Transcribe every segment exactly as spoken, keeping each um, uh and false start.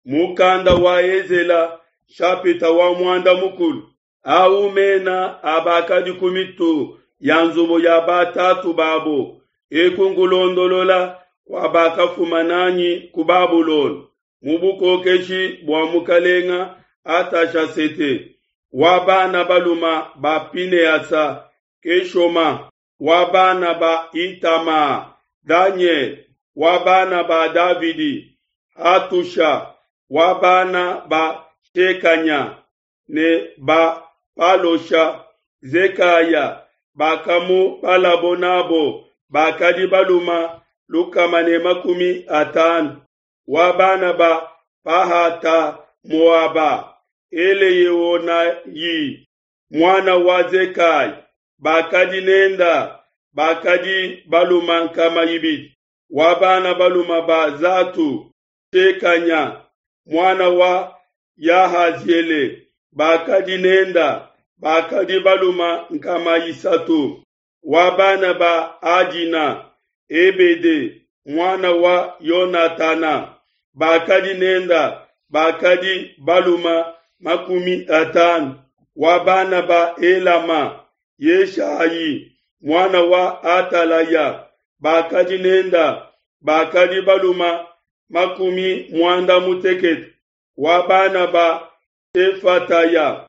Mukanda wa Ezela nshapita wa muanda mukulu. Au mena a bakadi ku mitu ya nzubu ya batatu babo, eku nkulondolola kua bakafuma nanyi ku Babulona mu bukokeshi bua mukalenga Atashasete, wa bana baluma ba Pinehasa, Keshoma, wa bana ba Itama, Daniel, wa bana ba Davidi, Hatusha, wa bana ba Shekanya ne ba Palosha, Zekaya, bakamubalabo nabo bakadi baluma lukama ne makumi atanu, wa bana ba Pahata Moaba, Eleyeonayi, muana wa Zekai, bakadi nenda bakadi baluma nkama ibidi, wa bana baluma ba Zatu, Shekanya, muana wa Yahaziele, bakadi nenda bakadi baluma nkama isatu, wa bana ba Adina, Ebede, muana wa Yonatana, bakadi nenda bakadi baluma makumi atanu, wa bana ba Elama, Yeshayi, muana wa Atalaya, bakadi nenda bakadi baluma makumi muanda mutekete, wa bana ba Shefataya,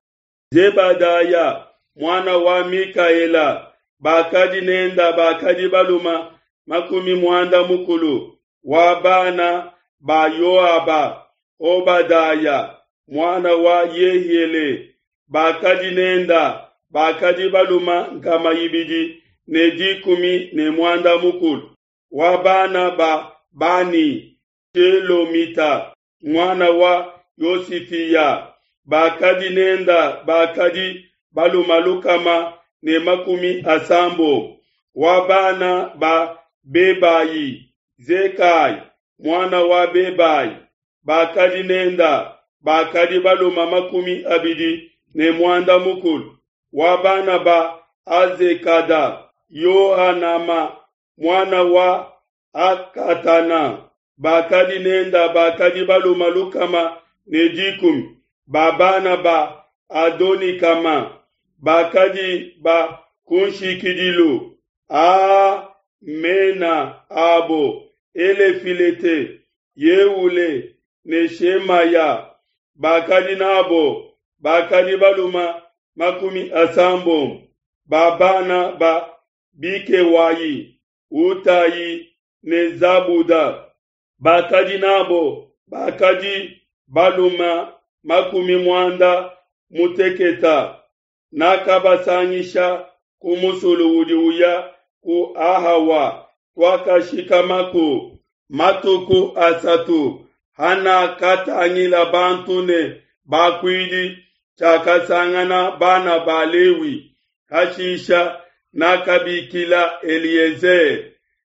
Zebadaya, muana wa Mikaela, bakadi nenda bakadi baluma makumi muanda mukulu, wa bana ba Yoaba, Obadaya, muana wa Yehiele, bakadi nenda bakadi baluma nkama ibidi ne dikumi ne muanda mukulu, wa bana ba Bani, Shelomita, muana wa Yosifiya, bakadi nenda bakadi baluma lukama ne makumi asambo, wa bana ba Bebayi, Zekai, muana wa Bebayi, bakadi nenda bakadi baluma makumi abidi ne muanda mukulu, wa bana ba Azekada, Yohanama, muana wa Akatana, bakadi nenda bakadi baluma lukama ne dikumi, ba bana ba Adonikama, bakadi ba kunshikidilu, a mena abo Elefilete, Yeule ne Shemaya, bakadi nabo bakadi baluma makumi asambo, ba bana ba Bikewayi, Utayi ne Zabuda, bakadi nabo bakadi baluma makumi muanda muteketa, nakabasangisha ku musulu udi uya ku Ahawa, tuakashikamaku matuku asatu. Hanakatangila bantu ne bakuidi, tshiakasangana bana ba Lewi. Hashisha nakabikila Eliezer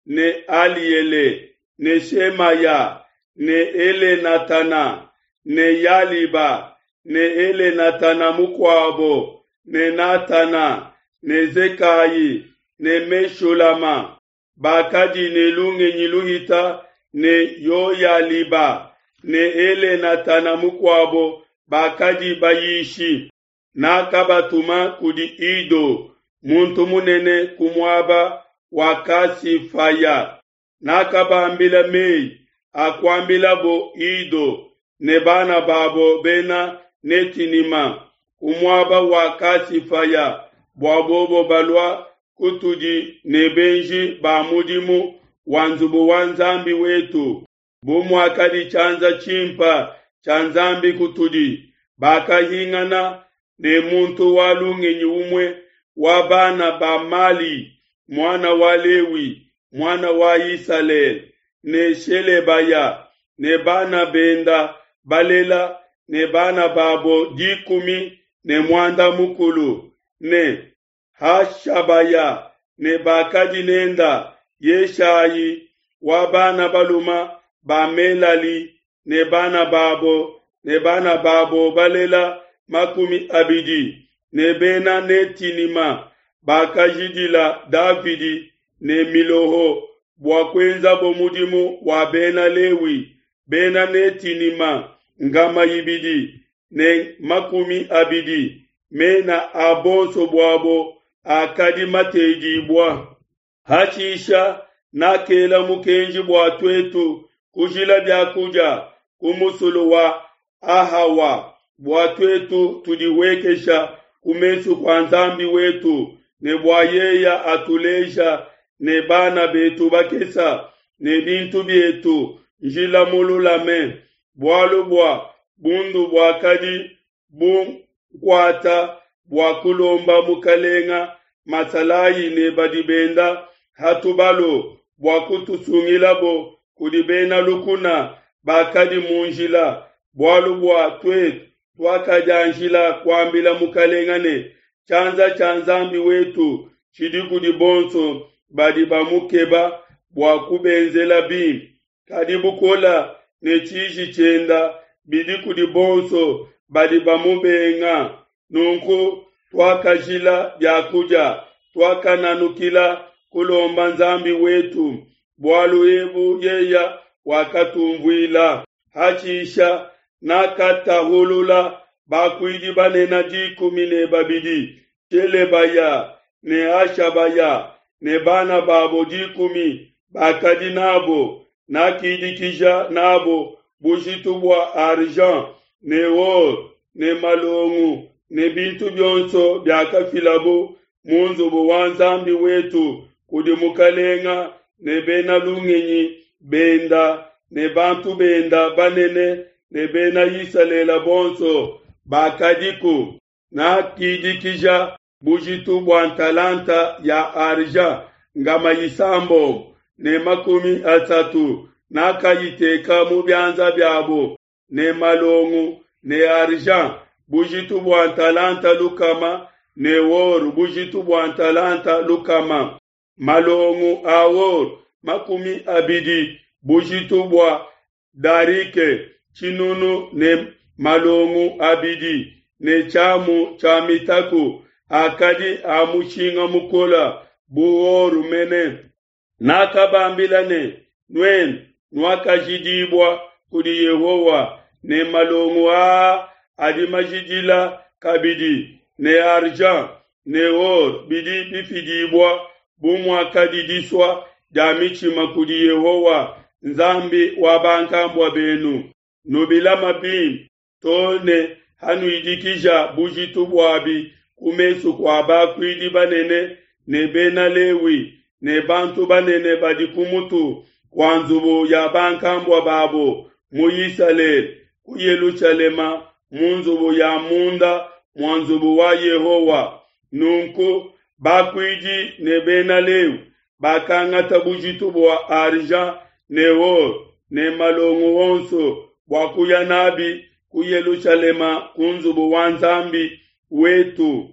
ne Aliele ne Shemaya ne Elenatana ne Yaliba ne Elenatana mukuabo ne Natana ne Zekayi ne Meshulama, bakadi ne lungenyi luhita ne Yoyaliba ne Elenatana mukuabo bakadi bayishi. Nakabatuma kudi Ido, muntu munene ku muaba wa Kasifaya. Nakabambila mei akuambilabo Ido ne bana babo bena Netinima ku muaba wa Kasifaya, bua bobo balua kutudi ne benji ba mudimu wa nzubu wa Nzambi wetu, bu muakadi tshianza tshimpa tshia Nzambi kutudi. Bakahingana ne muntu wa lungenyi umue wa bana ba Mali, muana wa Lewi, muana wa Isalele, ne Shelebaya ne bana benda balela ne bana babo dikumi ne muanda mukulu, ne Hashabaya ne bakadi nenda Yeshayi wa bana baluma ba Melali ne bana babo ne bana babo balela makumi abidi, ne bena Netinima bakajidila Davidi ne miloho bua kuenzabo mudimu wa bena Lewi. Bena Netinima nkama ibidi ne makumi abidi, mena a bonso buabo akadi matedibua. Hashisha nakela mukenji bua tuetu kujila bia kudia ku musulu wa Ahawa, bua tuetu tudihuekesha ku mesu kua Nzambi wetu, ne bua yeye atuleja ne bana betu bakesa ne bintu bietu njila mululame. Bualu bua bundu buakadi bunkuata bua kulomba mukalenga masalayi ne badi benda ha tubalu bua kutusungilabo kudi bena lukuna bakadi mu njila. Bualu bua tuetu tuakadianjila kuambila mukalenga ne, tshianza tshia Nzambi wetu tshidi kudi bonso badi bamukeba bua kubenzela bimpe, kadi bukola ne tshiji tshienda bidi kudi bonso badi bamubenga. Nunku tuakajila biakudia, tuakananukila kulomba Nzambi wetu, bualu ebu yeya wakatumvuila. Hashisha nakatahulula bakuidi banene dikumi ne babidi, Shelebaya ne Hashabaya ne bana babo dikumi bakadi nabo, nakidikija nabo bujitu bua argent ne or ne malongu ne bintu bionso biakafilabo mu nzubu wa Nzambi wetu kudi mukalenga ne bena lungenyi benda ne bantu benda banene ne bena Isalele bonso bakadiku. Nakidikija bujitu bua ntalanta ya argent ngama isambombo ne makumi asatu, nakayiteka mu bianza biabo ne malongu ne argent bujitu bua ntalanta lukama ne or bujitu bua ntalanta lukama, malongu a or makumi abidi bujitu bua darike tshinunu ne malongu abidi ne tshiamu tshia mitaku akadi a mushinga mukola bu or mene. Nakabambila ne, nuenu nuakajidibua kudi Yehowa ne malongu aa adi majidila kabidi ne argent ne or bidi bifidibua bu muakadi disua dia mitshima kudi Yehowa Nzambi wa bankambua benu. Nubilama bimpe to ne hanuidikija bujitu buabi ku mesu kua bakuidi banene ne bena Lewi ne bantu banene badi ku mutu kua nzubu ya bankambua babo mu Isalele ku Yelushalema mu nzubu ya munda mua nzubu wa Yehowa. Nunku bakuidi ne bena Lewi bakangata bujitu bua argent ne or ne malongu onso bua kuya nabi ku Yelushalema ku nzubu wa Nzambi wetu.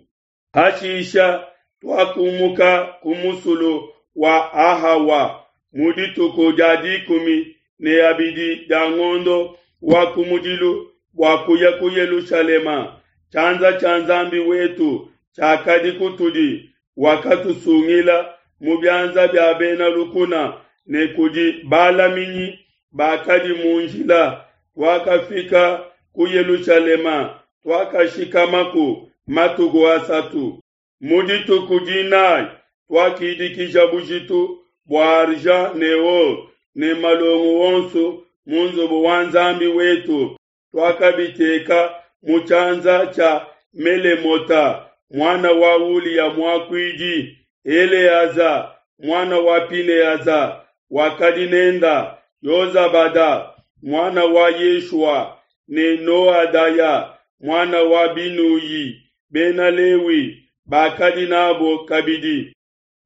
Hashisha tuakumuka ku musulu wa Ahawa mu dituku dia dikumi ne abidi dia ngondo wa kumudilu bua kuya ku Yelushalema. Tshianza tshia Nzambi wetu tshiakadi kutudi, wakatusungila mu bianza bia bena lukuna ne kudi balaminyi bakadi mu njila. Tuakafika ku Yelushalema, tuakashikamaku matuku asatu. Mu dituku dinayi tuakidikija bujitu bua argent ne or ne malongu onso mu nzubu wa Nzambi wetu, tuakabiteka mu tshianza tshia Melemota mwana wa Uliya muakuidi, Eleaza mwana wa Pineaza wakadi nenda, Yozabada mwana wa Yeshua ne Noadaya mwana wa Binuyi, bena Lewi bakadi nabo kabidi.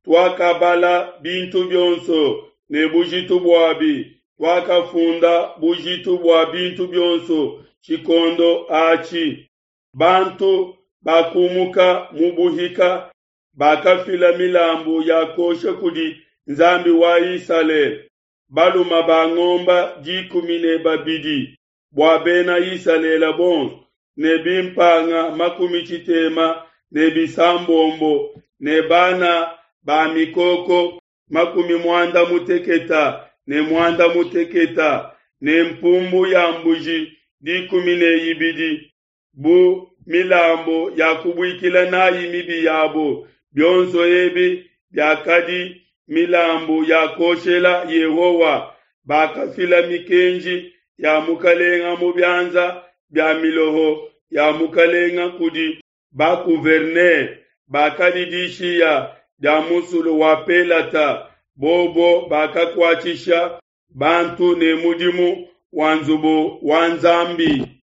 Tuakabala bintu bionso ne bujitu buabi, tuakafunda bujitu bua bintu bionso tshikondo atshi. Bantu bakumuka mu buhika bakafila milambu ya kosha kudi Nzambi wa Isalele, baluma ba ngomba dikumi ne babidi bua bena Isalele bonso, ne bimpanga makumi tshitema ne bisambombo ne bana ba mikoko makumi muanda muteketa ne muanda muteketa ne mpumbu ya mbuji dikumi ne ibidi bu milambu ya kubuikila n'ai mibi yabo, bionso ebi biakadi milambu ya kuoshela Yehowa. Bakafila mikenji ya mukalenga mu bianza bia miloho ya mukalenga kudi ba-gouverneur bakadi dishiya dia musulu wa Pelata, bobo bakakuatshisha bantu ne mudimu wa nzubu wa Nzambi.